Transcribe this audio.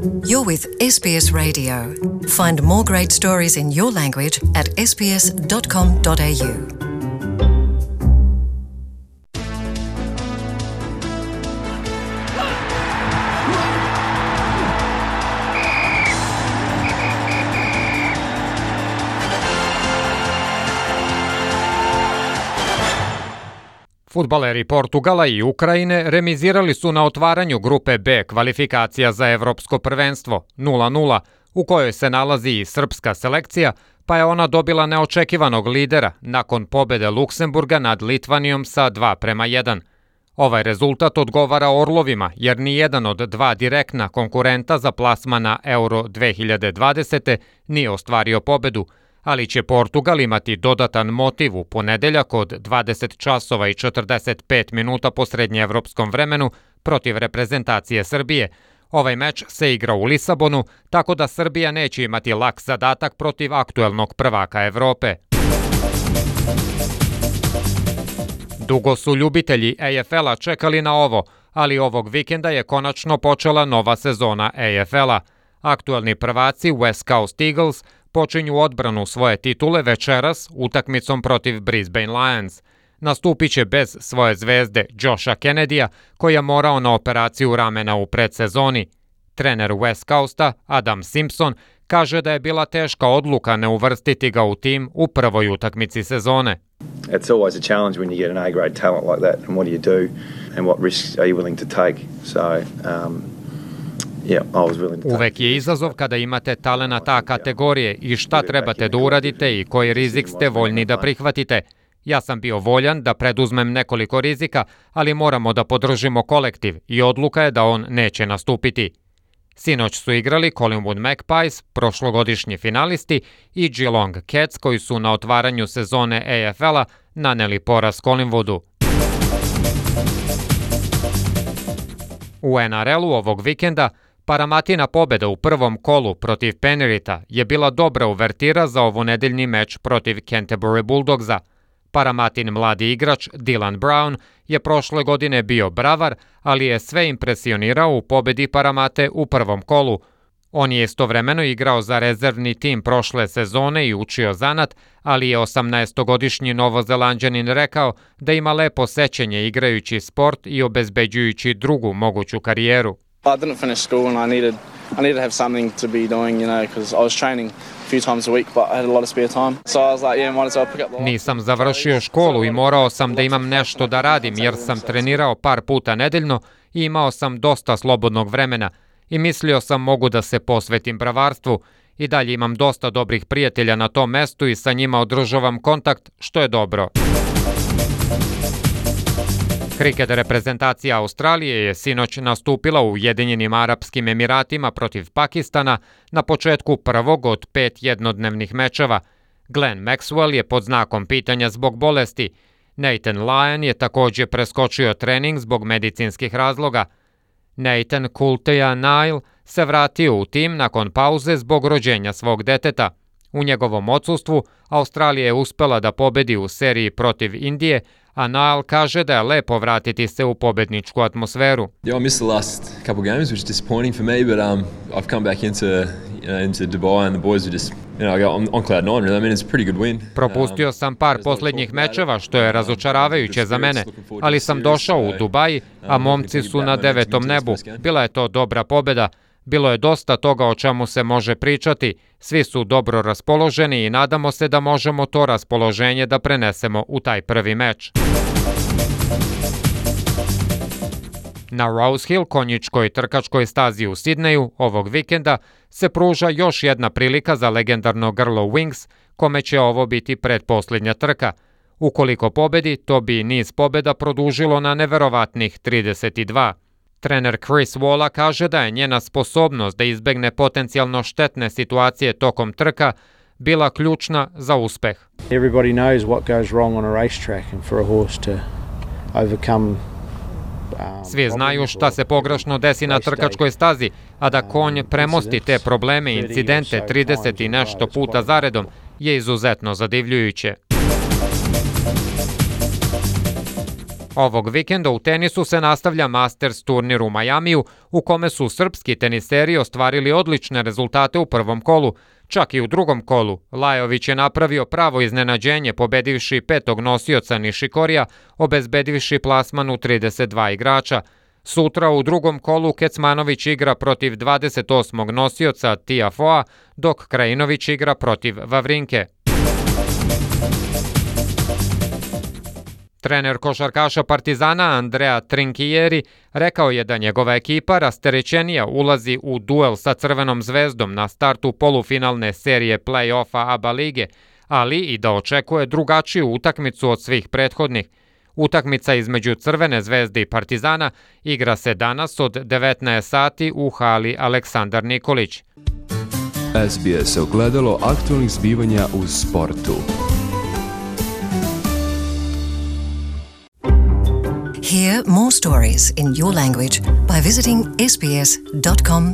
You're with SBS Radio. Find more great stories in your language at sbs.com.au. Fudbaleri Portugala i Ukrajine remizirali su na otvaranju grupe B kvalifikacija za Evropsko prvenstvo 0:0, u kojoj se nalazi i srpska selekcija, pa je ona dobila neočekivanog lidera nakon pobede Luksemburga nad Litvanijom sa 2:1. Ovaj rezultat odgovara Orlovima, jer ni jedan od dva direktna konkurenta za plasman na Euro 2020. nije ostvario pobedu, ali će Portugal imati dodatan motiv u ponedeljak od 20 časova i 45 minuta po srednjeevropskom vremenu protiv reprezentacije Srbije. Ovaj meč se igra u Lisabonu, tako da Srbija neće imati lak zadatak protiv aktuelnog prvaka Evrope. Dugo su ljubitelji AFL-a čekali na ovo, ali ovog vikenda je konačno počela nova sezona AFL-a. Aktuelni prvaci West Coast Eagles počinju odbranu svoje titule večeras utakmicom protiv Brisbane Lions. Nastupit će bez svoje zvezde Josha Kennedya, koji je morao na operaciju ramena u predsezoni. Trener West Coasta Adam Simpson kaže da je bila teška odluka ne uvrstiti ga u tim u prvoj utakmici sezone. It's always a challenge when you get an A-grade talent like that, and what do you do and what risks are you willing to take? Uvek je izazov kada imate talenata ta kategorije i šta trebate da uradite i koji rizik ste voljni da prihvatite. Ja sam bio voljan da preduzmem nekoliko rizika, ali moramo da podržimo kolektiv i odluka je da on neće nastupiti. Sinoć su igrali Collingwood Magpies, prošlogodišnji finalisti, i Geelong Cats, koji su na otvaranju sezone AFL-a naneli poraz Collingwoodu. U NRL-u ovog vikenda Paramatina pobeda u prvom kolu protiv Penrita je bila dobra uvertira za ovonedeljni meč protiv Canterbury Bulldogsa. Paramatin mladi igrač Dylan Brown je prošle godine bio bravar, ali je sve impresionirao u pobedi Paramate u prvom kolu. On je istovremeno igrao za rezervni tim prošle sezone i učio zanat, ali je 18-godišnji Novozelanđanin rekao da ima lepo sećanje igrajući sport i obezbeđujući drugu moguću karijeru. I didn't finish school and I needed to have something to be doing, because I was training a few times a week, but I had a lot of spare time. So I was like, might as well pick up the... Nisam završio školu i morao sam da imam nešto da radim, jer sam trenirao par puta nedeljno i imao sam dosta slobodnog vremena i mislio sam mogu da se posvetim bravarstvu. I dalje imam dosta dobrih prijatelja na tom mestu i sa njima održavam kontakt, što je dobro. Kriket reprezentacija Australije je sinoć nastupila u Ujedinjenim Arapskim Emiratima protiv Pakistana na početku prvog od 5 jednodnevnih mečeva. Glenn Maxwell je pod znakom pitanja zbog bolesti. Nathan Lyon je također preskočio trening zbog medicinskih razloga. Nathan Coulter-Nile se vratio u tim nakon pauze zbog rođenja svog deteta. U njegovom odsustvu Australija je uspela da pobedi u seriji protiv Indije, a Nile kaže da je lepo vratiti se u pobedničku atmosferu. Yeah, I missed the last couple games, which is disappointing for me, but I've come back into Dubai and the boys are just, on cloud nine really. I mean, it's a pretty good win. Propustio sam par posljednjih mečeva, što je razočaravajuće za mene, ali sam došao u Dubai, a momci su na 9. nebu. Bila je to dobra pobeda. Bilo je dosta toga o čemu se može pričati, svi su dobro raspoloženi i nadamo se da možemo to raspoloženje da prenesemo u taj prvi meč. Na Rose Hill, konjičkoj trkačkoj stazi u Sidneju, ovog vikenda se pruža još jedna prilika za legendarno grlo Wings, kome će ovo biti pretposljednja trka. Ukoliko pobedi, to bi niz pobeda produžilo na neverovatnih 32. Trener Chris Waller kaže da je njena sposobnost da izbegne potencijalno štetne situacije tokom trka bila ključna za uspeh. Everybody knows what goes wrong on a racetrack and for a horse to overcome. Svi znaju šta se pogrešno desi na trkačkoj stazi, a da konj premosti te probleme i incidente 30 i nešto puta zaredom je izuzetno zadivljujuće. Ovog vikenda u tenisu se nastavlja Masters turnir u Majamiju, u kome su srpski teniseri ostvarili odlične rezultate u prvom kolu. Čak i u drugom kolu Lajović je napravio pravo iznenađenje pobedivši petog nosioca Nišikorija, obezbedivši plasman u 32 igrača. Sutra u drugom kolu Kecmanović igra protiv 28. nosioca Tiafoea, dok Krajinović igra protiv Vavrinke. Trener košarkaša Partizana Andrea Trinkieri rekao je da njegova ekipa rasterećenija ulazi u duel sa Crvenom zvezdom na startu polufinalne serije play-offa ABA lige, ali i da očekuje drugačiju utakmicu od svih prethodnih. Utakmica između Crvene zvezde i Partizana igra se danas od 19 sati u hali Aleksandar Nikolić. SBS ogledalo aktualnih zbivanja u sportu. Hear more stories in your language by visiting sbs.com.au.